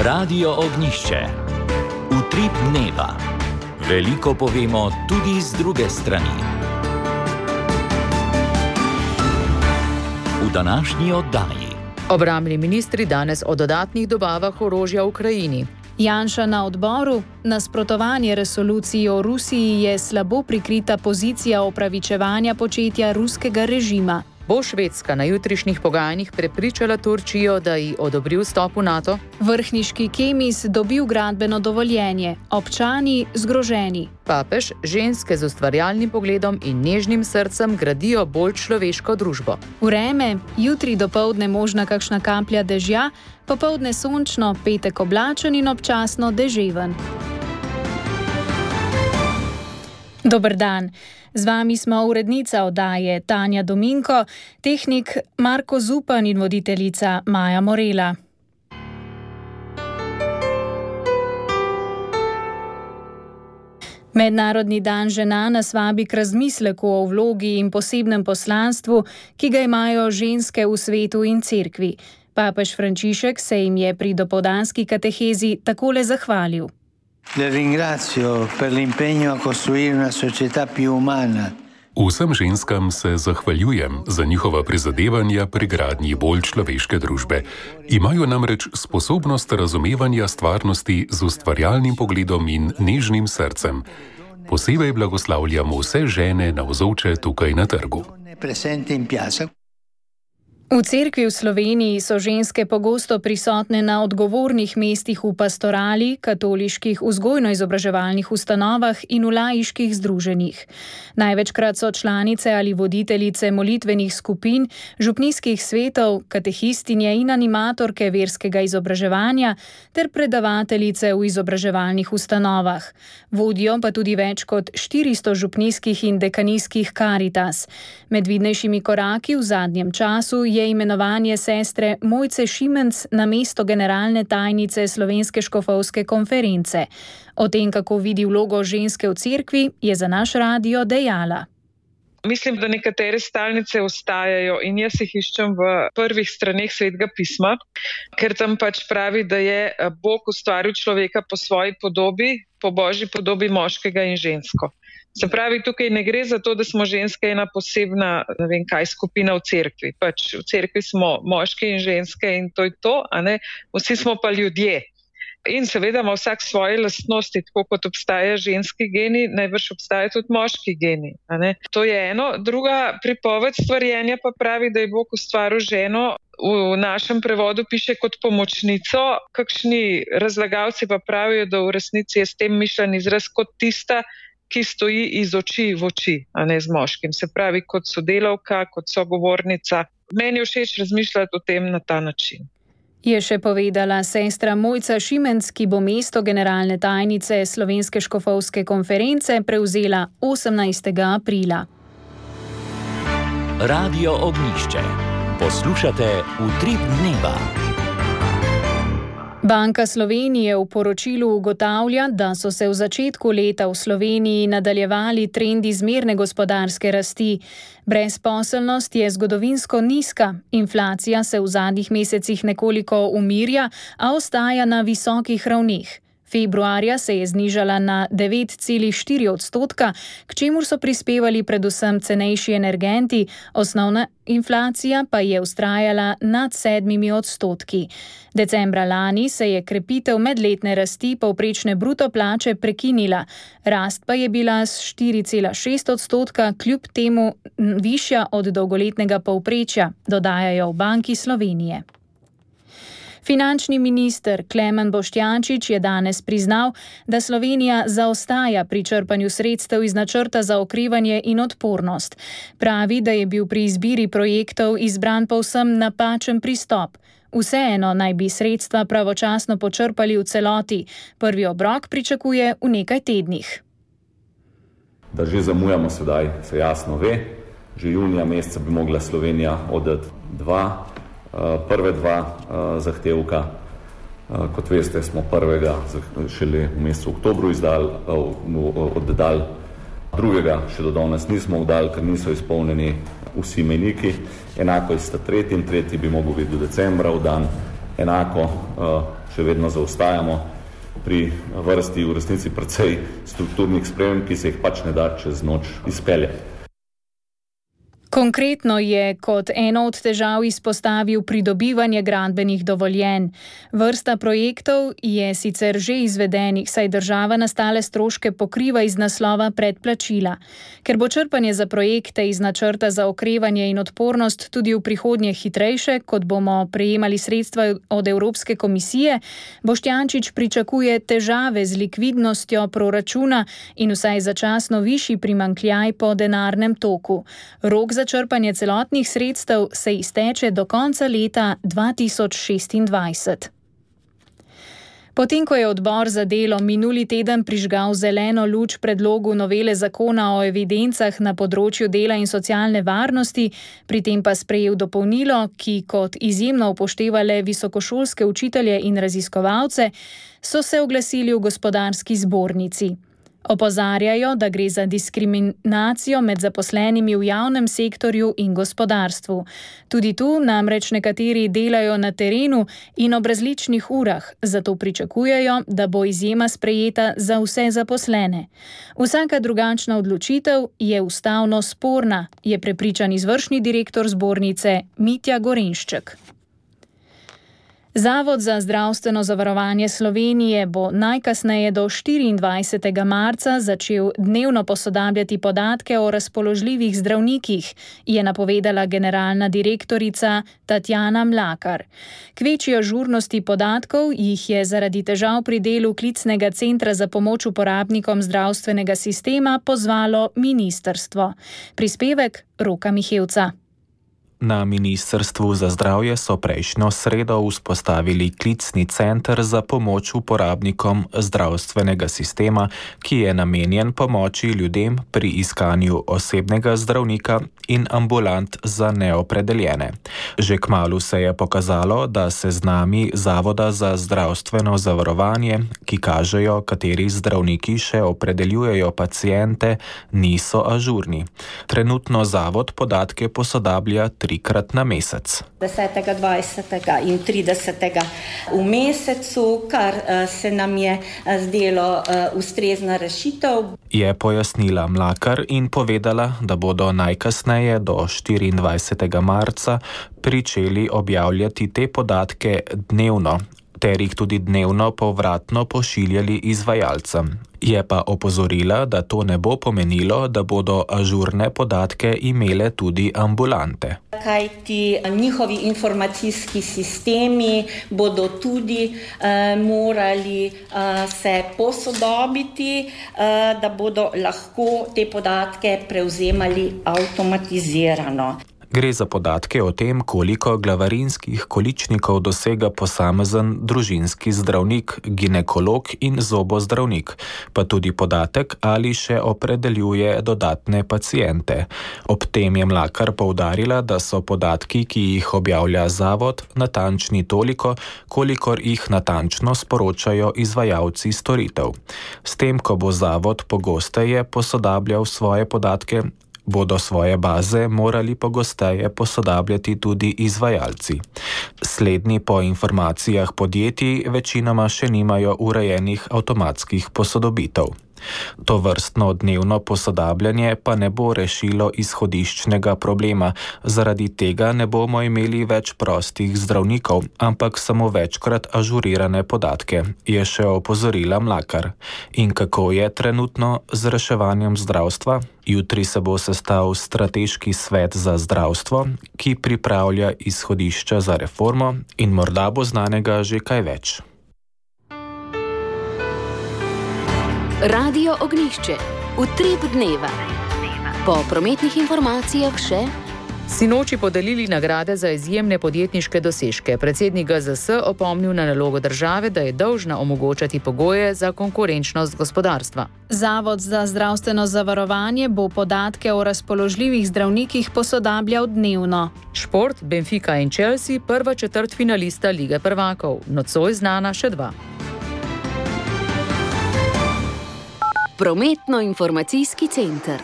Radio Ognišče. Utrip dneva. Veliko povemo tudi z druge strani. V današnji oddaji. Obrambni ministri danes o dodatnih dobavah orožja v Ukrajini. Janša na odboru: nasprotovanje resoluciji o Rusiji je slabo prikrita pozicija opravičevanja početja ruskega režima. Bo Švedska na jutrišnjih pogajanjih prepričala Turčijo, da ji odobri vstop v NATO? Vrhniški Kemis dobil gradbeno dovoljenje, občani zgroženi. Papež: ženske z ustvarjalnim pogledom in nežnim srcem gradijo bolj človeško družbo. Vreme: jutri dopoldne možna kakšna kaplja dežja, popoldne sončno, petek oblačen in občasno deževen. Dober dan. Z vami smo urednica oddaje Tanja Dominko, tehnik Marko Zupan in voditeljica Maja Morela. Mednarodni dan žena nas vabi k razmisleku o vlogi in posebnem poslanstvu, ki ga imajo ženske v svetu in cerkvi. Papež Frančišek se jim je pri dopoldanski katehezi takole zahvalil. Le ringrazio per l'impegno a costruire una società più umana. Vsem ženskam se zahvaljujem za njihova prizadevanja pri gradnji bolj človeške družbe. Imajo namreč sposobnost razumevanja stvarnosti z ustvarjalnim pogledom in nežnim srcem. Posebej blagoslavljamo vse žene navzoče tukaj na trgu. V cerkvi v Sloveniji so ženske pogosto prisotne na odgovornih mestih v pastorali, katoliških vzgojno-izobraževalnih ustanovah in v laiških združenjih. Največkrat so članice ali voditeljice molitvenih skupin, župnijskih svetov, katehistinje in animatorke verskega izobraževanja ter predavateljice v izobraževalnih ustanovah. Vodijo pa tudi več kot 400 župnijskih in dekanijskih karitas. Med vidnejšimi koraki v zadnjem času je imenovanje sestre Mojce Šimenc na mesto generalne tajnice Slovenske škofovske konference. O tem, kako vidi vlogo ženske v cerkvi, je za naš radio dejala. Mislim, da nekatere stalnice ostajajo in jaz jih iščem v prvih straneh Svetega pisma, ker tam pač pravi, da je Bog ustvaril človeka po svoji podobi, po Božji podobi moškega in žensko. Se pravi, tukaj ne gre za to, da smo ženske ena posebna, ne vem kaj, skupina v cerkvi. Pač v cerkvi smo moški in ženske in to je to, a ne? Vsi smo pa ljudje. In seveda ima vsak svoje lastnosti, tako kot obstaja ženski geni, najbrž obstaja tudi moški geni. A ne? To je eno. Druga pripoved stvarjenja pa pravi, da je Bog ustvaril ženo, v našem prevodu piše kot pomočnico, kakšni razlagalci pa pravijo, da v resnici je s tem mišljen izraz kot tista, ki stoji iz oči v oči, a ne z moškim. Se pravi, kot sodelavka, kot sogovornica. Meni je všeč razmišljati o tem na ta način. Je še povedala sestra Mojca Šimenc, ki bo mesto generalne tajnice Slovenske škofovske konference prevzela 18. aprila. Radio Ognišče. Poslušate Utrip dneva. Banka Slovenije v poročilu ugotavlja, da so se v začetku leta v Sloveniji nadaljevali trendi zmerne gospodarske rasti. Brezposelnost je zgodovinsko nizka, inflacija se v zadnjih mesecih nekoliko umirja, a ostaja na visokih ravneh. Februarja se je znižala na 9,4%, k čemur so prispevali predvsem cenejši energenti, osnovna inflacija pa je vztrajala nad 7%. Decembra lani se je krepitev medletne rasti povprečne bruto plače prekinila, rast pa je bila s 4,6%, kljub temu višja od dolgoletnega povprečja, dodajajo v Banki Slovenije. Finančni minister Klemen Boštjančič je danes priznal, da Slovenija zaostaja pri črpanju sredstev iz načrta za okrevanje in odpornost. Pravi, da je bil pri izbiri projektov izbran povsem napačen pristop. Vseeno naj bi sredstva pravočasno počrpali v celoti. Prvi obrok pričakuje v nekaj tednih. Da že zamujamo sedaj, se jasno ve. Že junija meseca bi mogla Slovenija oddati prve dva zahtevka. Kot veste, smo prvega šele v mesecu oktobru oddali, drugega še do danes nismo oddali, ker niso izpolnjeni vsi mejniki. Enako je sta tretji bi mogel biti do decembra oddan enako še vedno zaostajamo pri vrsti v resnici precej strukturnih sprememb, ki se jih pač ne da čez noč izpeljati. Konkretno je kot eno od težav izpostavil pridobivanje gradbenih dovoljenj. Vrsta projektov je sicer že izvedenih, saj država nastale stroške pokriva iz naslova predplačila. Ker bo črpanje za projekte iz načrta za okrevanje in odpornost tudi v prihodnje hitrejše, kot bomo prejemali sredstva od Evropske komisije, Boštjančič pričakuje težave z likvidnostjo proračuna in vsaj začasno višji primanjkljaj po denarnem toku. Rok za črpanje celotnih sredstev se izteče do konca leta 2026. Potem, ko je odbor za delo minuli teden prižgal zeleno luč predlogu novele zakona o evidencah na področju dela in socialne varnosti, pri tem pa sprejel dopolnilo, ki kot izjemno upošteva le visokošolske učitelje in raziskovalce, so se oglasili v Gospodarski zbornici. Opozarjajo, da gre za diskriminacijo med zaposlenimi v javnem sektorju in gospodarstvu. Tudi tu namreč nekateri delajo na terenu in ob različnih urah, zato pričakujejo, da bo izjema sprejeta za vse zaposlene. Vsaka drugačna odločitev je ustavno sporna, je prepričan izvršni direktor zbornice Mitja Gorenšček. Zavod za zdravstveno zavarovanje Slovenije bo najkasneje do 24. marca začel dnevno posodabljati podatke o razpoložljivih zdravnikih, je napovedala generalna direktorica Tatjana Mlakar. K večji ažurnosti podatkov jih je zaradi težav pri delu klicnega centra za pomoč uporabnikom zdravstvenega sistema pozvalo ministrstvo. Prispevek Roka Mihevca. Na Ministrstvu za zdravje so prejšnjo sredo vzpostavili klicni center za pomoč uporabnikom zdravstvenega sistema, ki je namenjen pomoči ljudem pri iskanju osebnega zdravnika in ambulant za neopredeljene. Že kmalu se je pokazalo, da seznami Zavoda za zdravstveno zavarovanje, ki kažejo, kateri zdravniki še opredeljujejo paciente, niso ažurni. Trenutno zavod podatke posodablja 3-krat na mesec. 10., 20. in 30. v mesecu, kar se nam je zdelo ustrezna rešitev. Je pojasnila Mlakar in povedala, da bodo najkasneje do 24. marca pričeli objavljati te podatke dnevno, ter jih tudi dnevno povratno pošiljali izvajalcem. Je pa opozorila, da to ne bo pomenilo, da bodo ažurne podatke imele tudi ambulante. Kajti njihovi informacijski sistemi bodo tudi morali se posodobiti, da bodo lahko te podatke prevzemali avtomatizirano. Gre za podatke o tem, koliko glavarinskih količnikov dosega posamezen družinski zdravnik, ginekolog in zobozdravnik, pa tudi podatek, ali še opredeljuje dodatne paciente. Ob tem je Mlakar poudarila, da so podatki, ki jih objavlja zavod, natančni toliko, kolikor jih natančno sporočajo izvajalci storitev. S tem, ko bo zavod pogosteje posodabljal svoje podatke, bodo svoje baze morali pogosteje posodabljati tudi izvajalci. Slednji po informacijah podjetij večinoma še nimajo urejenih avtomatskih posodobitev. To vrstno dnevno posodabljanje pa ne bo rešilo izhodiščnega problema, zaradi tega ne bomo imeli več prostih zdravnikov, ampak samo večkrat ažurirane podatke, je še opozorila Mlakar. In kako je trenutno z reševanjem zdravstva? Jutri se bo sestal Strateški svet za zdravstvo, ki pripravlja izhodišča za reformo in morda bo znanega že kaj več. Radio Ognjišče, utrip dneva. Po prometnih informacijah še. Sinoči podelili nagrade za izjemne podjetniške dosežke. Predsednik GZS opomnil na nalogo države, da je dolžna omogočati pogoje za konkurenčnost gospodarstva. Zavod za zdravstveno zavarovanje bo podatke o razpoložljivih zdravnikih posodabljal dnevno. Šport, Benfica in Chelsea, prva četrtfinalista Lige prvakov. Nocoj znana še 2. Prometno-informacijski center.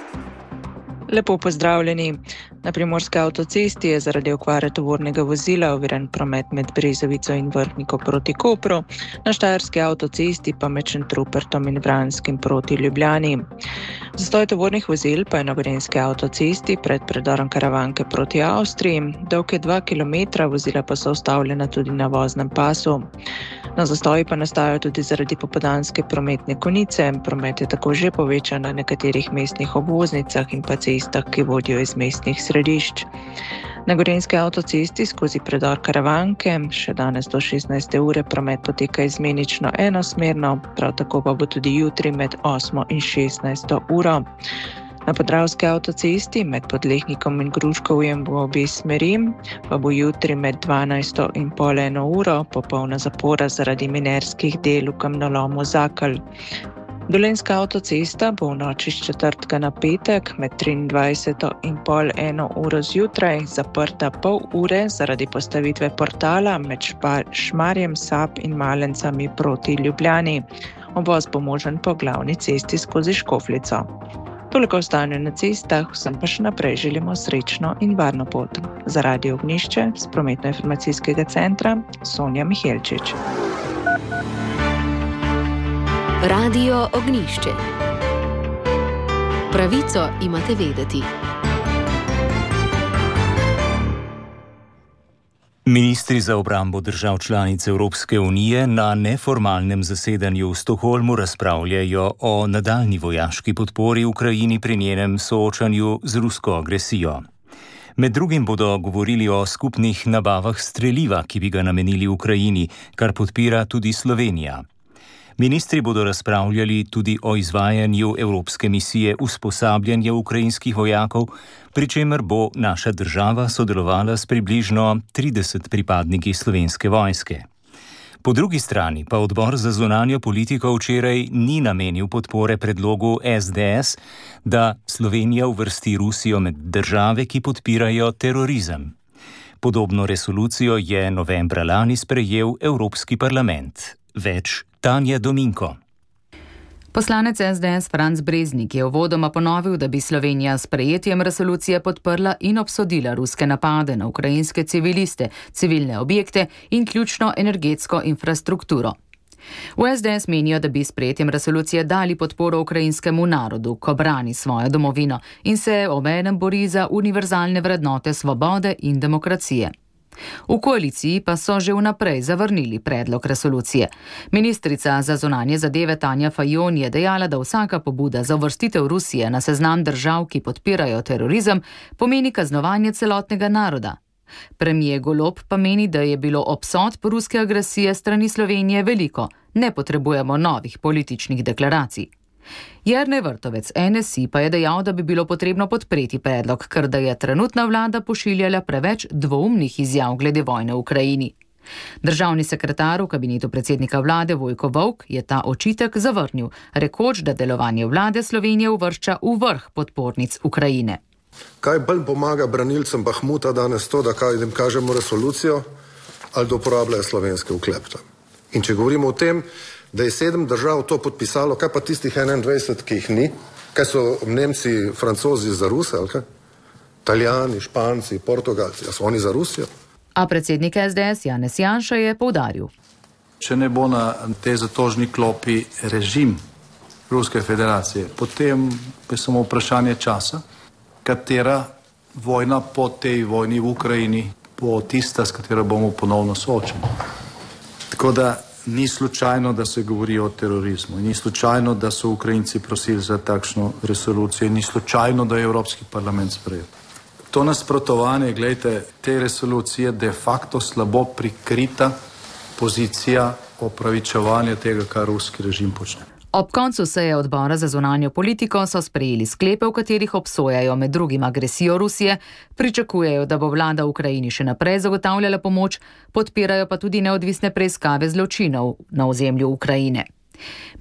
Lepo pozdravljeni. Na primorski avtocesti je zaradi okvare tovornega vozila oviran promet med Brezovico in Vrhniko proti Kopru, na štajerski avtocesti pa med Šentrupertom in Vranskim proti Ljubljani. Zastoj tovornih vozil pa je na gorenjski avtocesti pred predorom Karavanke proti Avstriji, dolg je 2 km, vozila pa so ustavljena tudi na voznem pasu. Na zastoji pa nastajajo tudi zaradi popoldanske prometne konice, promet je tako že povečan na nekaterih mestnih obvoznicah in pa cestah, ki vodijo iz mestnih središč. Na gorenjski avtocesti skozi predor Karavanke še danes do 16. ure promet poteka izmenično enosmerno, prav tako pa bo tudi jutri med 8. in 16. uro. Na podravski avtocesti med Podlehnikom in Gruškovjem v obi smeri pa bo jutri med 12. in pol 1 uro popolna zapora zaradi minerskih del v kamnolomu Zakal. Dolenjska avtocesta bo v noči s četrtka na petek med 23. in pol 1 uro zjutraj zaprta pol ure zaradi postavitve portala med Šmarjem, Sap in Malencami proti Ljubljani. Obvoz bo možen po glavni cesti skozi Škofljico. Toliko o stanju na cestah, vsem pa še naprej želimo srečno in varno pot. Za Radio Ognjišče z prometno-informacijskega centra Sonja Mihelčič. Radio Ognjišče. Pravico imate vedeti. Ministri za obrambo držav članic Evropske unije na neformalnem zasedanju v Stockholmu razpravljajo o nadaljnji vojaški podpori Ukrajini pri njenem soočanju z rusko agresijo. Med drugim bodo govorili o skupnih nabavah streliva, ki bi ga namenili Ukrajini, kar podpira tudi Slovenija. Ministri bodo razpravljali tudi o izvajanju evropske misije usposabljanja ukrajinskih vojakov, pri čemer bo naša država sodelovala s približno 30 pripadniki Slovenske vojske. Po drugi strani pa odbor za zunanjo politiko včeraj ni namenil podpore predlogu SDS, da Slovenija uvrsti Rusijo med države, ki podpirajo terorizem. Podobno resolucijo je novembra lani sprejel Evropski parlament. Več Tanja Dominko. Poslanec SDS Franc Breznik je uvodoma ponovil, da bi Slovenija s sprejetjem resolucije podprla in obsodila ruske napade na ukrajinske civiliste, civilne objekte in ključno energetsko infrastrukturo. V SDS menijo, da bi s sprejetjem resolucije dali podporo ukrajinskemu narodu, ko brani svojo domovino in se obenem bori za univerzalne vrednote svobode in demokracije. V koaliciji pa so že vnaprej zavrnili predlog resolucije. Ministrica za zunanje zadeve Tanja Fajon je dejala, da vsaka pobuda za uvrstitev Rusije na seznam držav, ki podpirajo terorizem, pomeni kaznovanje celotnega naroda. Premijer Golob pa meni, da je bilo obsodb ruske agresije strani Slovenije veliko, ne potrebujemo novih političnih deklaracij. Jernej Vrtovec NSI pa je dejal, da bi bilo potrebno podpreti predlog, ker da je trenutna vlada pošiljala preveč dvoumnih izjav glede vojne v Ukrajini. Državni sekretar v kabinetu predsednika vlade Vojko Volk je ta očitek zavrnil, rekoč, da delovanje vlade Slovenije uvršča v vrh podpornic Ukrajine. Kaj bolj pomaga branilcem Bahmuta danes to, da jim kažemo resolucijo ali da uporabljajo slovenske oklepte? In če govorimo o tem, da je 7 držav to podpisalo, kaj pa tistih 21, ki jih ni? Kaj so Nemci, Francozi za Ruse, ali kaj? Italijani, Španci, Portugalci, a so oni za Rusijo? A predsednik SDS Janez Janša je poudaril. Če ne bo na tej zatožni klopi režim Ruske federacije, potem je samo vprašanje časa, katera vojna po tej vojni v Ukrajini bo tista, s katero bomo ponovno soočeni. Tako da ni slučajno, da se govori o terorizmu, ni slučajno, da so Ukrajinci prosili za takšno resolucijo, ni slučajno, da je Evropski parlament sprejel. To nasprotovanje, gledajte, te resolucije de facto slabo prikrita pozicija opravičevanja tega, kar ruski režim počne. Ob koncu seje odbora za zunanjo politiko so sprejeli sklepe, v katerih obsojajo med drugim agresijo Rusije, pričakujejo, da bo vlada v Ukrajini še naprej zagotavljala pomoč, podpirajo pa tudi neodvisne preiskave zločinov na ozemlju Ukrajine.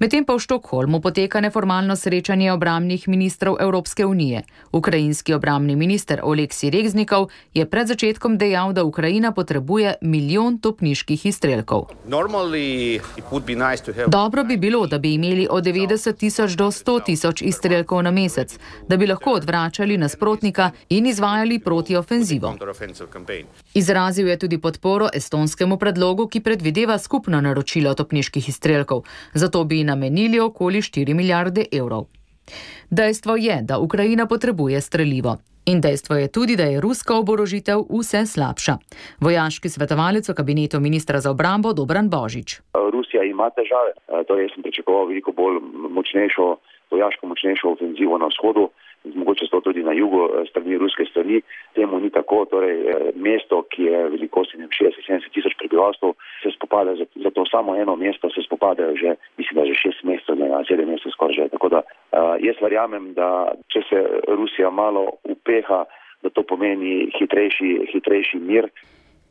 Medtem pa v Štokholmu poteka neformalno srečanje obrambnih ministrov Evropske unije. Ukrajinski obrambni minister Oleksij Reznikov je pred začetkom dejal, da Ukrajina potrebuje 1 milijon topniških izstrelkov. Dobro bi bilo, da bi imeli od 90 tisoč do 100 tisoč izstrelkov na mesec, da bi lahko odvračali nasprotnika in izvajali protiofenzivo. Izrazil je tudi podporo estonskemu predlogu, ki predvideva skupno naročilo topniških izstrelkov. Zato bi namenili okoli 4 milijarde evrov. Dejstvo je, da Ukrajina potrebuje strelivo. In dejstvo je tudi, da je ruska oborožitev vse slabša. Vojaški svetovalec v kabinetu ministra za obrambo Dobran Božič. Rusija ima težave, torej sem pričakoval veliko bolj vojaško močnejšo ofenzivo na vzhodu, mogoče to tudi na jugu strani ruske strani. Temu ni tako, torej mesto, ki je velikosti 60-70 tisoč prebivalcev, se spopada, za to samo eno mesto se spopadajo že, mislim, da že 6 mesecev, 7 mesecev skoraj že. Tako da jaz verjamem, da če se Rusija malo upeha, da to pomeni hitrejši mir.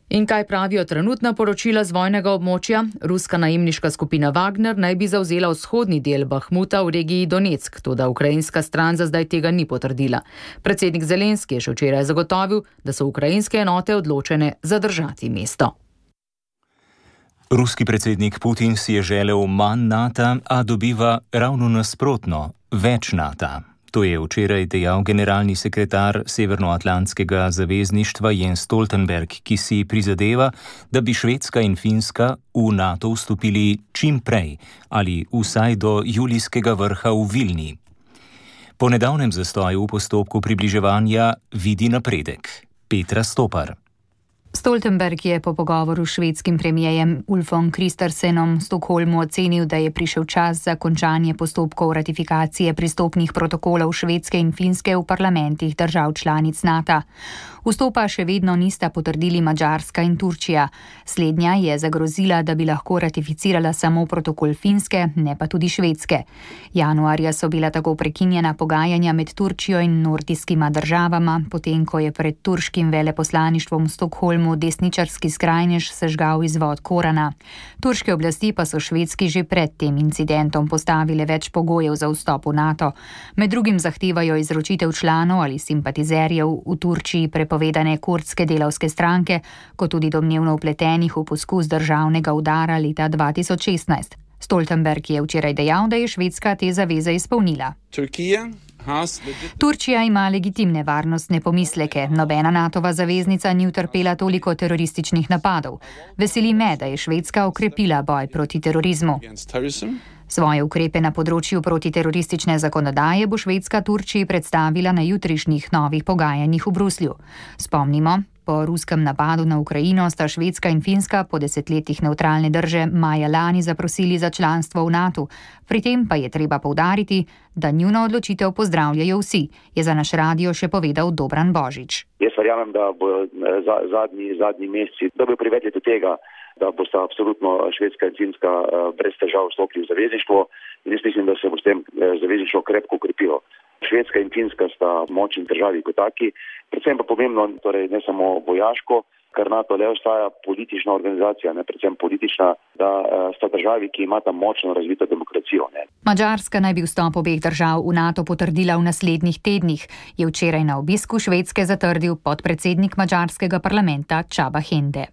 In kaj pravijo trenutna poročila z vojnega območja? Ruska najemniška skupina Wagner naj bi zavzela vzhodni del Bahmuta v regiji Donetsk, toda ukrajinska stran za zdaj tega ni potrdila. Predsednik Zelenski je še včeraj zagotovil, da so ukrajinske enote odločene zadržati mesto. Ruski predsednik Putin si je želel manj NATO, a dobiva ravno nasprotno, več NATO. To je včeraj dejal generalni sekretar Severnoatlantskega zavezništva Jens Stoltenberg, ki si prizadeva, da bi Švedska in Finska v NATO vstopili čim prej ali vsaj do julijskega vrha v Vilni. Po nedavnem zastoju v postopku približevanja vidi napredek. Petra Stopar. Stoltenberg je po pogovoru s švedskim premijejem Ulfom Kristersenom v Stockholmu ocenil, da je prišel čas za končanje postopkov ratifikacije pristopnih protokolov Švedske in Finske v parlamentih držav članic NATO. Vstopa še vedno nista potrdili Madžarska in Turčija. Slednja je zagrozila, da bi lahko ratificirala samo protokol Finske, ne pa tudi Švedske. Januarja so bila tako prekinjena pogajanja med Turčijo in nordijskima državama, potem ko je pred turškim veleposlaništvom v Stockholmu desničarski skrajnež sežgal izvod Korana. Turške oblasti pa so Švedski že pred tem incidentom postavile več pogojev za vstop v NATO. Med drugim zahtevajo izročitev članov ali simpatizerjev v Turčiji prepovedane kurdske delavske stranke, kot tudi domnevno vpletenih v poskus državnega udara leta 2016. Stoltenberg je včeraj dejal, da je Švedska te zaveze izpolnila. Turčija ima legitimne varnostne pomisleke. Nobena NATO-va zaveznica ni utrpela toliko terorističnih napadov. Veseli me, da je Švedska okrepila boj proti terorizmu. Svoje ukrepe na področju protiteroristične zakonodaje bo Švedska Turčiji predstavila na jutrišnjih novih pogajanjih v Bruslju. Spomnimo, po ruskem napadu na Ukrajino sta Švedska in Finska po 10 letih nevtralne drže maja lani zaprosili za članstvo v NATO. Pri tem pa je treba poudariti, da njuno odločitev pozdravljajo vsi, je za naš radio še povedal Dobran Božič. Jaz verjamem, da bo zadnji meseci, da bo privedli do tega, da bosta absolutno Švedska in Finska brez težav vstopili v zavezništvo in jaz mislim, da se bo s tem zavezništvo krepko ukrepilo. Švedska in Finska sta močni državi kot taki, predvsem pa pomembno, torej ne samo vojaško, ker NATO le ostaja politična organizacija, ne predvsem politična, da sta državi, ki imata močno razvito demokracijo. Ne. Madžarska naj bi vstop obeh držav v NATO potrdila v naslednjih tednih, je včeraj na obisku Švedske zatrdil podpredsednik madžarskega parlamenta Csaba Hende.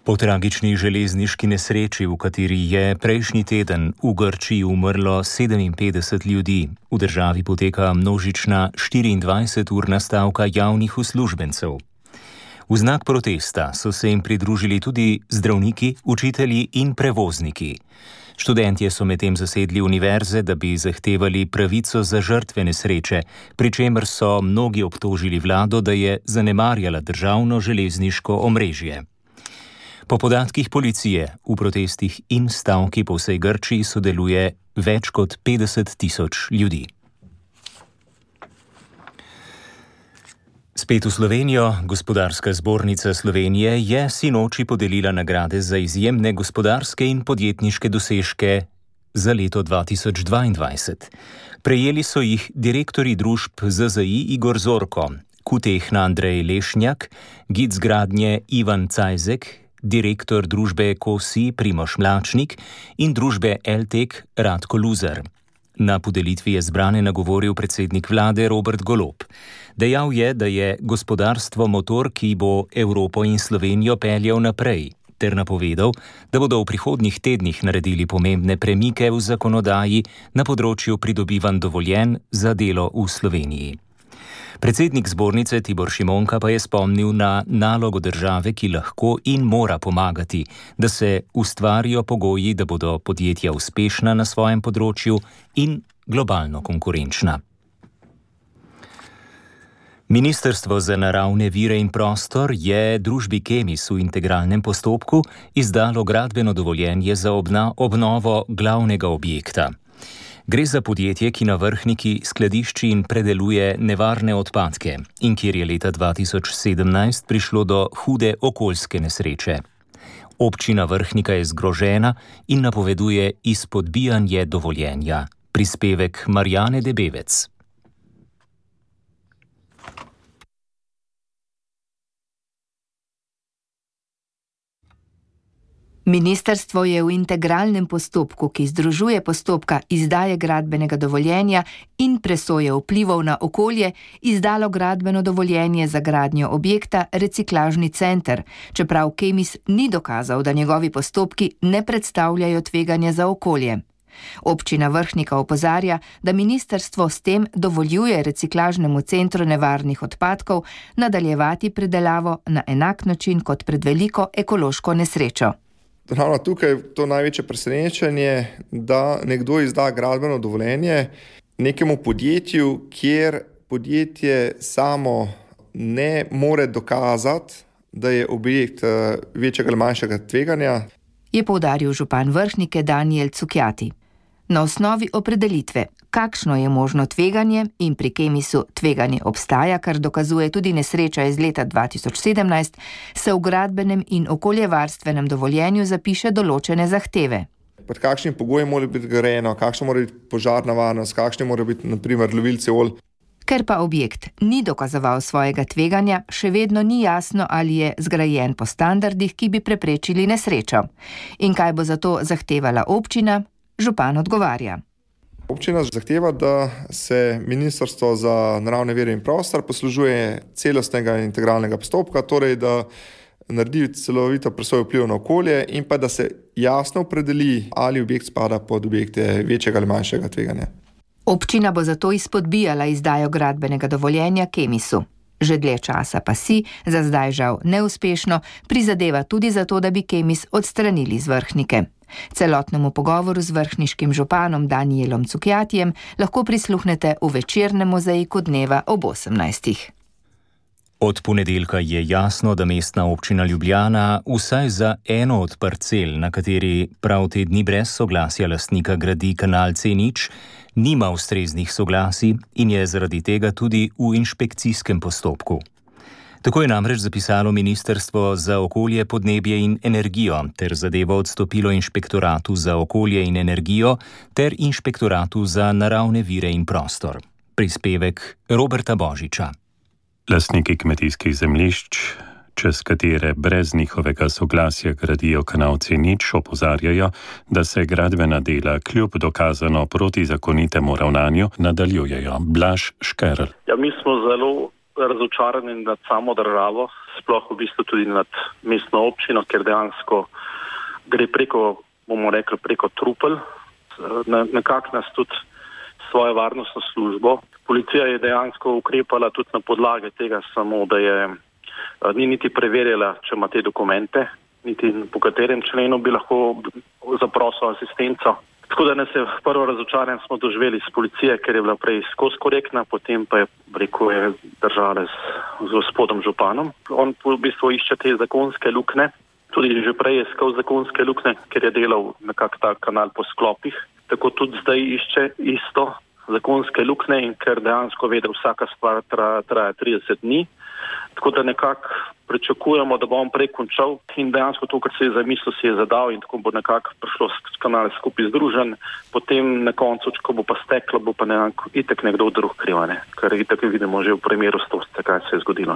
Po tragični železniški nesreči, v kateri je prejšnji teden v Grčiji umrlo 57 ljudi, v državi poteka množična 24-urna stavka javnih uslužbencev. V znak protesta so se jim pridružili tudi zdravniki, učitelji in prevozniki. Študentje so medtem zasedli univerze, da bi zahtevali pravico za žrtve nesreče, pri čemer so mnogi obtožili vlado, da je zanemarjala državno železniško omrežje. Po podatkih policije v protestih in stavki po vsej Grčiji sodeluje več kot 50 tisoč ljudi. Spet v Slovenijo. Gospodarska zbornica Slovenije je sinoči podelila nagrade za izjemne gospodarske in podjetniške dosežke za leto 2022. Prejeli so jih direktorji družb ZZI Igor Zorko, Kutehna Andrej Lešnjak, Gic Gradnje Ivan Cajzek, direktor družbe KOSI Primož Mlačnik in družbe LTEK Radko Luzar. Na podelitvi je zbrane nagovoril predsednik vlade Robert Golob. Dejal je, da je gospodarstvo motor, ki bo Evropo in Slovenijo peljal naprej, ter napovedal, da bodo v prihodnjih tednih naredili pomembne premike v zakonodaji na področju pridobivanj dovoljenj za delo v Sloveniji. Predsednik zbornice Tibor Šimonka pa je spomnil na nalogo države, ki lahko in mora pomagati, da se ustvarijo pogoji, da bodo podjetja uspešna na svojem področju in globalno konkurenčna. Ministrstvo za naravne vire in prostor je družbi Kemis v integralnem postopku izdalo gradbeno dovoljenje za obnovo glavnega objekta. Gre za podjetje, ki na Vrhniki skladišči in predeluje nevarne odpadke in kjer je leta 2017 prišlo do hude okoljske nesreče. Občina Vrhnika je zgrožena in napoveduje izpodbijanje dovoljenja. Prispevek Marjane Debevec. Ministrstvo je v integralnem postopku, ki združuje postopka izdaje gradbenega dovoljenja in presoje vplivov na okolje, izdalo gradbeno dovoljenje za gradnjo objekta Reciklažni center, čeprav Kemis ni dokazal, da njegovi postopki ne predstavljajo tveganja za okolje. Občina Vrhnika opozarja, da ministrstvo s tem dovoljuje Reciklažnemu centru nevarnih odpadkov nadaljevati predelavo na enak način kot pred veliko ekološko nesrečo. Ravno tukaj je to največje presenečenje, da nekdo izda gradbeno dovoljenje nekemu podjetju, kjer podjetje samo ne more dokazati, da je objekt večjega ali manjšega tveganja. Je poudaril župan Vrhnike Danijel Cukjati. Na osnovi opredelitve, kakšno je možno tveganje in pri Kemisu tveganje obstaja, kar dokazuje tudi nesreča iz leta 2017, se v gradbenem in okoljevarstvenem dovoljenju zapiše določene zahteve. Pod kakšnim pogojem mora biti grajeno, kakšna mora biti požarna varnost, kakšni mora biti na primer lovilci olj. Ker pa objekt ni dokazoval svojega tveganja, še vedno ni jasno, ali je zgrajen po standardih, ki bi preprečili nesrečo. In kaj bo zato zahtevala občina? Župan odgovarja. Občina zahteva, da se Ministrstvo za naravne vire in prostor poslužuje celostnega integralnega postopka, torej da naredi celovito presojo vplivov na okolje in pa da se jasno opredeli, ali objekt spada pod objekte večjega ali manjšega tveganja. Občina bo zato izpodbijala izdajo gradbenega dovoljenja Kemisu. Že dlje časa pa si, za zdaj žal neuspešno, prizadeva tudi za to, da bi Kemis odstranili z Vrhnike. Celotnemu pogovoru z vrhniškim županom Danijelom Cukjatijem lahko prisluhnete v večernem mozaiku dneva ob 18. Od ponedeljka je jasno, da mestna občina Ljubljana vsaj za eno od parcel, na kateri prav te dni brez soglasja lastnika gradi kanal C0, nima ustreznih soglasij in je zaradi tega tudi v inšpekcijskem postopku. Tako je namreč zapisalo Ministrstvo za okolje, podnebje in energijo ter zadevo odstopilo Inšpektoratu za okolje in energijo ter Inšpektoratu za naravne vire in prostor. Prispevek Roberta Božiča. Lastniki kmetijskih zemljišč, čez katere brez njihovega soglasja gradijo kanal C0, opozarjajo, da se gradbena dela kljub dokazano protizakonitemu ravnanju nadaljujejo. Blaž Škerl. Ja, mi smo zelo razočarani nad samo državo, sploh v bistvu tudi nad mestno občino, ker dejansko gre preko trupel. Nekako nas tudi svojo varnostno službo. Policija je dejansko ukrepala tudi na podlage tega samo, da ni niti preverjala, če ima te dokumente, niti po katerem členu bi lahko zaprosil asistenco. Tako da nas je prvo razočaranje smo doživeli s policije, ker je bila prej skozi korektna, potem pa je držala z gospodom županom. On v bistvu išče te zakonske lukne, tudi že prej je iskal zakonske lukne, ker je delal nekako ta kanal po sklopih. Tako tudi zdaj išče isto zakonske lukne in ker dejansko ve, da vsaka stvar traja 30 dni. Tako da nekako pričakujemo, da bo on prej končal in dejansko to, kar se je zamislil, si je zadal in tako bo nekako prišlo kanal skupaj združen. Potem na koncu, ko bo pa steklo, bo pa itak nekdo drug kriv, kar itak vidimo že v primeru Stožca, kaj se je zgodilo.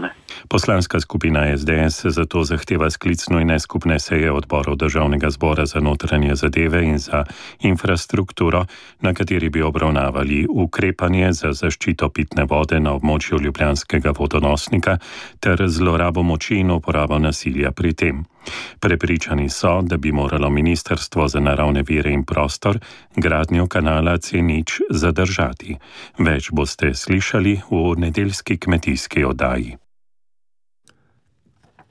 Poslanska skupina SDS zato zahteva sklic nujne skupne seje odborov Državnega zbora za notranje zadeve in za infrastrukturo, na kateri bi obravnavali ukrepanje za zaščito pitne vode na območju ljubljanskega vodonosnika ter zlorabo moči in uporabo nasilja pri tem. Prepričani so, da bi moralo Ministrstvo za naravne vire in prostor gradnjo kanala C0 zadržati. Več boste slišali v nedeljski kmetijski oddaji.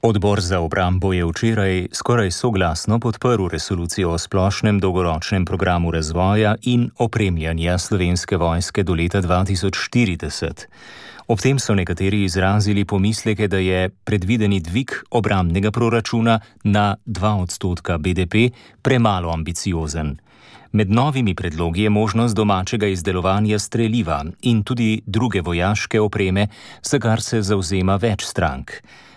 Odbor za obrambo je včeraj skoraj soglasno podprl resolucijo o splošnem dolgoročnem programu razvoja in opremljanja Slovenske vojske do leta 2040. Ob tem so nekateri izrazili pomisleke, da je predvideni dvig obrambnega proračuna na 2% BDP premalo ambiciozen. Med novimi predlogi je možnost domačega izdelovanja streliva in tudi druge vojaške opreme, za kar se zavzema več strank.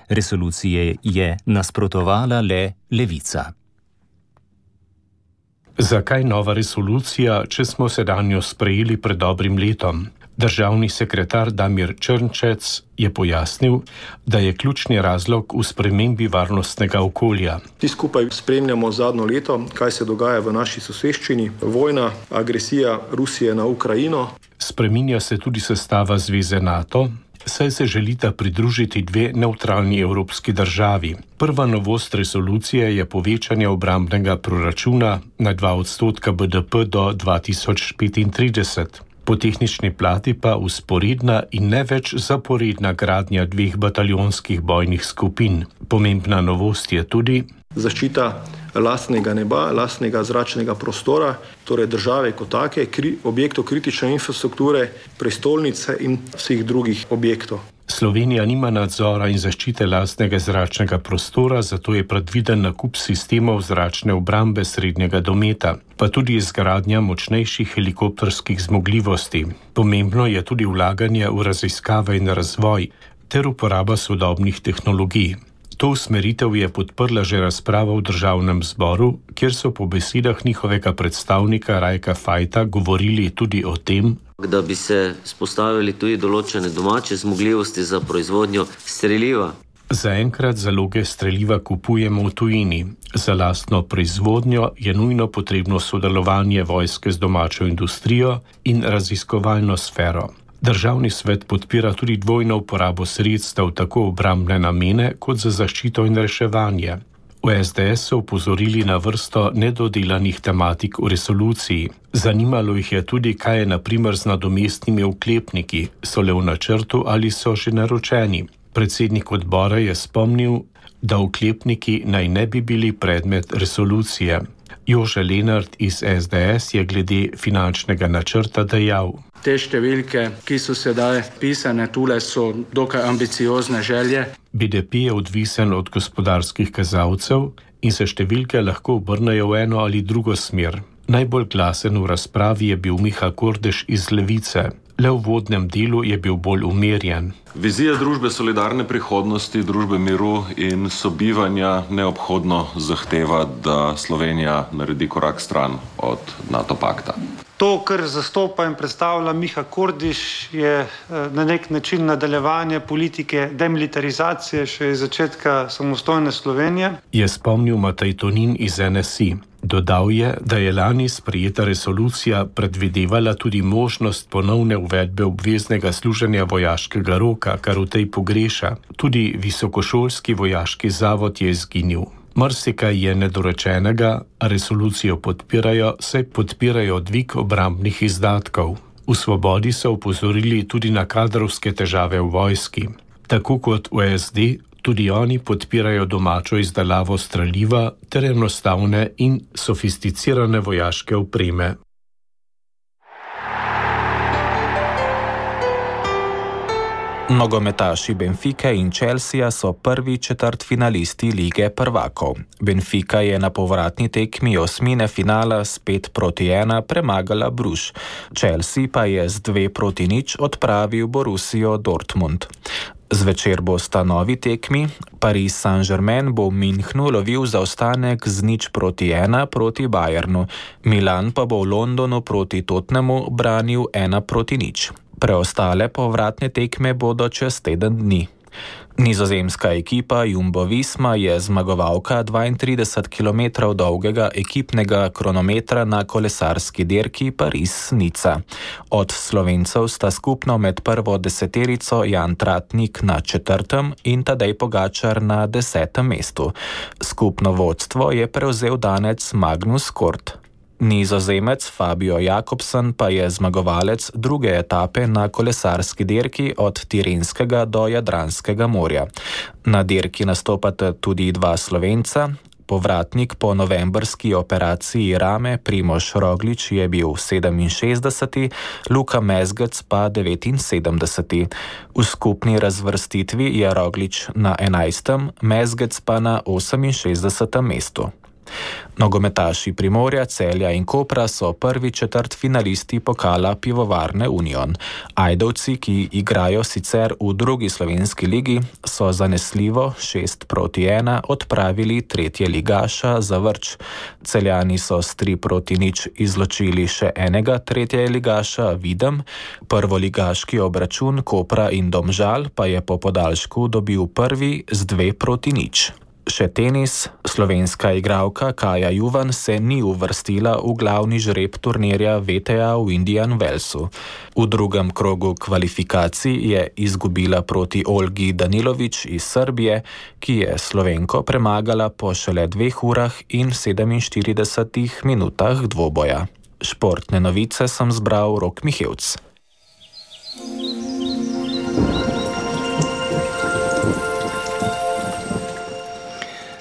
Resolucije je nasprotovala le Levica. Zakaj nova resolucija, če smo sedanjo sprejeli pred dobrim letom? Državni sekretar Damir Črnčec je pojasnil, da je ključni razlog v spremembi varnostnega okolja. Ti skupaj spremljamo zadnjo leto, kaj se dogaja v naši soseščini. Vojna, agresija Rusije na Ukrajino. Spreminja se tudi sestava Zveze NATO, saj se želita pridružiti dve nevtralni evropski državi. Prva novost resolucije je povečanje obrambnega proračuna na 2% BDP do 2035. Po tehnični plati pa usporedna in ne več zaporedna gradnja 2 bataljonskih bojnih skupin. Pomembna novost je tudi zaščita lastnega neba, lastnega zračnega prostora, torej države kot take, objektov kritične infrastrukture, prestolnice in vseh drugih objektov. Slovenija nima nadzora in zaščite lastnega zračnega prostora, zato je predviden nakup sistemov zračne obrambe srednjega dometa, pa tudi izgradnja močnejših helikopterskih zmogljivosti. Pomembno je tudi vlaganje v raziskave in razvoj ter uporaba sodobnih tehnologij. To usmeritev je podprla že razprava v Državnem zboru, kjer so po besedah njihovega predstavnika Rajka Fajta govorili tudi o tem, da bi se spostavili tudi določene domače zmogljivosti za proizvodnjo streliva. Zaenkrat zaloge streliva kupujemo v tujini. Za lastno proizvodnjo je nujno potrebno sodelovanje vojske z domačo industrijo in raziskovalno sfero. Državni svet podpira tudi dvojno uporabo sredstev tako obrambne namene kot za zaščito in reševanje. V SDS so upozorili na vrsto nedodelanih tematik v resoluciji. Zanimalo jih je tudi, kaj je na primer z nadomestnimi oklepniki, so le v načrtu ali so že naročeni. Predsednik odbora je spomnil, da oklepniki naj ne bi bili predmet resolucije. Jože Lenart iz SDS je glede finančnega načrta dejal: Te številke, ki so sedaj pisane tule, so dokaj ambiciozne želje. BDP je odvisen od gospodarskih kazalcev in se številke lahko obrnejo v eno ali drugo smer. Najbolj glasen v razpravi je bil Miha Kordež iz Levice. Le v vodnem delu je bil bolj umirjen. Vizija družbe solidarne prihodnosti, družbe miru in sobivanja neobhodno zahteva, da Slovenija naredi korak stran od NATO pakta. To, kar zastopa in predstavlja Miha Kordiš, je na nek način nadaljevanje politike demilitarizacije še iz začetka samostojne Slovenije. Je spomnil Matej Tonin iz NSI. Dodal je, da je lani sprejeta resolucija predvidevala tudi možnost ponovne uvedbe obveznega služenja vojaškega roka, kar v tej pogreša. Tudi visokošolski vojaški zavod je izginil. Marsikaj je nedorečenega, a resolucijo podpirajo, saj podpirajo dvig obrambnih izdatkov. V Svobodi so opozorili tudi na kadrovske težave v vojski. Tako kot v SD, tudi oni podpirajo domačo izdelavo streliva ter enostavne in sofisticirane vojaške opreme. Nogometaši Benfica in Chelsea so prvi četrtfinalisti Lige prvakov. Benfica je na povratni tekmi osmine finala s 5-1 premagala Bruž. Chelsea pa je z 2-0 odpravil Borussijo Dortmund. Zvečer bosta novi tekmi. Paris Saint-Germain bo v Münchnu lovil zaostanek z 0-1 proti Bayernu. Milan pa bo v Londonu proti Tottenhamu branil 1-0. Preostale povratne tekme bodo čez teden dni. Nizozemska ekipa Jumbo Visma je zmagovalka 32 km dolgega ekipnega kronometra na kolesarski dirki Paris-Nica. Od Slovencev sta skupno med prvo deseterico Jan Tratnik na 4. in Tadej Pogačar na 10. mestu. Skupno vodstvo je prevzel danec Magnus Kort. Nizozemec Fabio Jakobsen pa je zmagovalec druge etape na kolesarski dirki od Tirenskega do Jadranskega morja. Na dirki nastopata tudi dva Slovenca. Povratnik po novembrski operaciji rame Primož Roglič je bil 67., Luka Mezgec pa 79. V skupni razvrstitvi je Roglič na 11., Mezgec pa na 68. mestu. Nogometaši Primorja, Celja in Kopra so prvi četrtfinalisti pokala Pivovarne Union. Ajdovci, ki igrajo sicer v drugi slovenski ligi, so zanesljivo 6-1 odpravili tretje ligaša Zavrč. Celjani so s 3-0 izločili še enega tretje ligaša Videm. Prvoligaški obračun Kopra in Domžal pa je po podaljšku dobil prvi z 2-0. Še tenis. Slovenska igralka Kaja Juvan se ni uvrstila v glavni žreb turnirja VTA v Indian Wellsu. V drugem krogu kvalifikacij je izgubila proti Olgi Danilović iz Srbije, ki je Slovenko premagala po šele 2 urah in 47 minutah dvoboja. Športne novice sem zbral Rok Mihevc.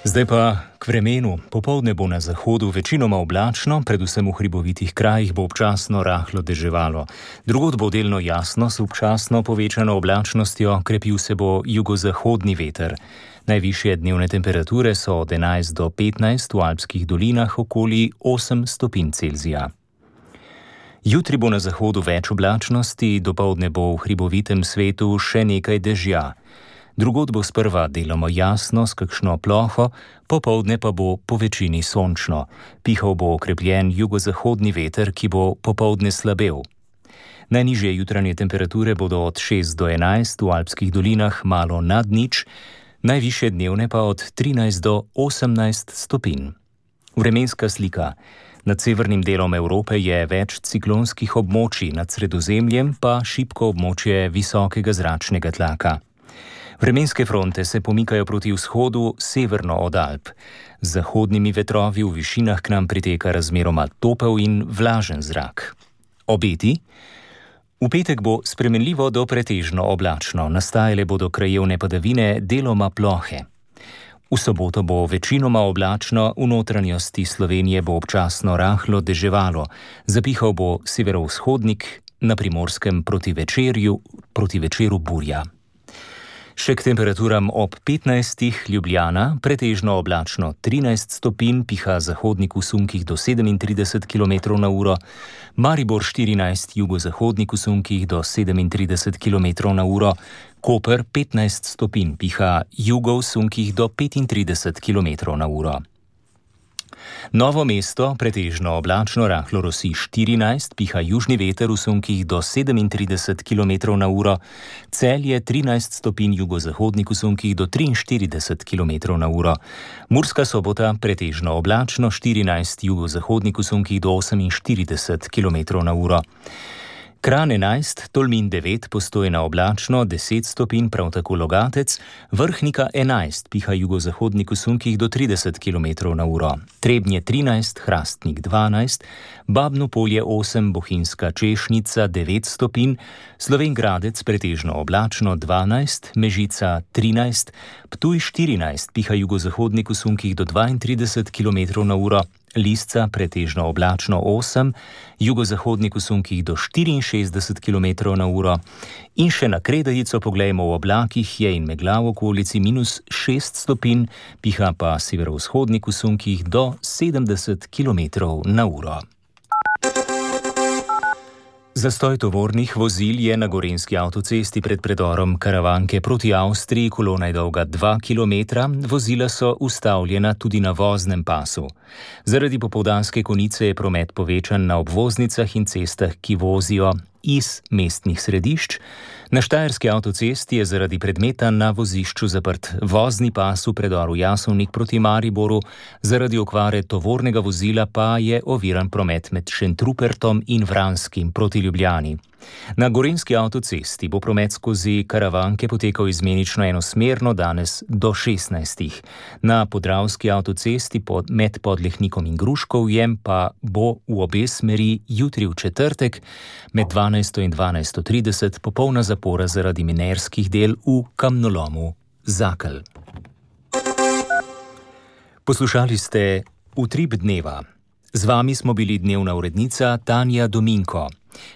Zdaj pa k vremenu. Popoldne bo na zahodu večinoma oblačno, predvsem v hribovitih krajih bo občasno rahlo deževalo. Drugod bo delno jasno s občasno povečano oblačnostjo, krepil se bo jugozahodni veter. Najvišje dnevne temperature so od 11 do 15, v alpskih dolinah okoli 8 stopinj Celzija. Jutri bo na zahodu več oblačnosti, dopoldne bo v hribovitem svetu še nekaj dežja. Drugod bo sprva deloma jasno s kakšno ploho, popoldne pa bo po večini sončno. Pihal bo okrepljen jugozahodni veter, ki bo popoldne slabel. Najnižje jutranje temperature bodo od 6 do 11, v alpskih dolinah malo nad nič, najvišje dnevne pa od 13 do 18 stopinj. Vremenska slika. Nad severnim delom Evrope je več ciklonskih območij, nad Sredozemljem pa šibko območje visokega zračnega tlaka. Vremenske fronte se pomikajo proti vzhodu severno od Alp. Z zahodnimi vetrovi v višinah k nam priteka razmeroma topel in vlažen zrak. Obeti? V petek bo spremenljivo do pretežno oblačno, nastajale bodo krajevne padavine, deloma plohe. V soboto bo večinoma oblačno, v notranjosti Slovenije bo občasno rahlo deževalo, zapihal bo severovzhodnik, na Primorskem proti večeru burja. Še k temperaturam ob 15. Ljubljana, pretežno oblačno 13 stopinj, piha zahodnik v sunkih do 37 km/h, Maribor 14, jugozahodnik v sunkih do 37 km/h, Koper 15 stopinj, piha jugo v sunkih do 35 km/h. Novo mesto, pretežno oblačno, rahlo rosi 14, piha južni veter v sunkih do 37 km/h, Celje 13 stopinj, jugozahodnik v sunkih do 43 km/h, Murska Sobota pretežno oblačno 14, jugozahodnik v sunkih do 48 km/h. Kranj 11, Tolmin 9, Postojna oblačno 10 stopinj, prav tako Logatec, Vrhnika 11, piha jugozahodnik v sunkih do 30 km/h, Trebnje 13, Hrastnik 12, Babno Polje 8, Bohinjska Češnica 9 stopinj, Slovenj Gradec pretežno oblačno 12, Mežica 13, Ptuj 14, piha jugozahodnik v sunkih do 32 km/h, Lisca pretežno oblačno 8, jugozahodnik v sunkih do 64 km/h in še na Kredajico poglejmo v oblakih, je in megla v okolici -6 stopinj, piha pa severovzhodnik v sunkih do 70 km/h. Zastoj tovornih vozil je na gorenjski avtocesti pred predorom Karavanke proti Avstriji, kolona je dolga 2 km, vozila so ustavljena tudi na voznem pasu. Zaradi popoldanske konice je promet povečan na obvoznicah in cestah, ki vozijo iz mestnih središč. Na štajerski avtocesti je zaradi predmeta na vozišču zaprt vozni pas v predoru Jasovnik proti Mariboru, zaradi okvare tovornega vozila pa je oviran promet med Šentrupertom in Vranskim proti Ljubljani. Na gorenjski avtocesti bo promet skozi Karavanke potekal izmenično enosmerno danes do 16. Na podravski avtocesti med Podlehnikom in Gruškovjem pa bo v obe smeri jutri v četrtek med 12. in 12.30 popolna zapora zaradi minerskih del v kamnolomu Zakelj. Poslušali ste Utrip dneva. Z vami smo bili dnevna urednica Tanja Dominko,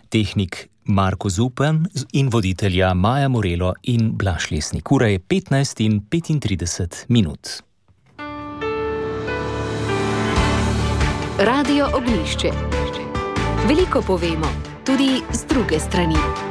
tehnik Marko Zupan in voditelja Maja Morelo in Blaž Lesnik. Ura je 15 in 35 minut. Radio Ognjišče. Veliko povemo, tudi z druge strani.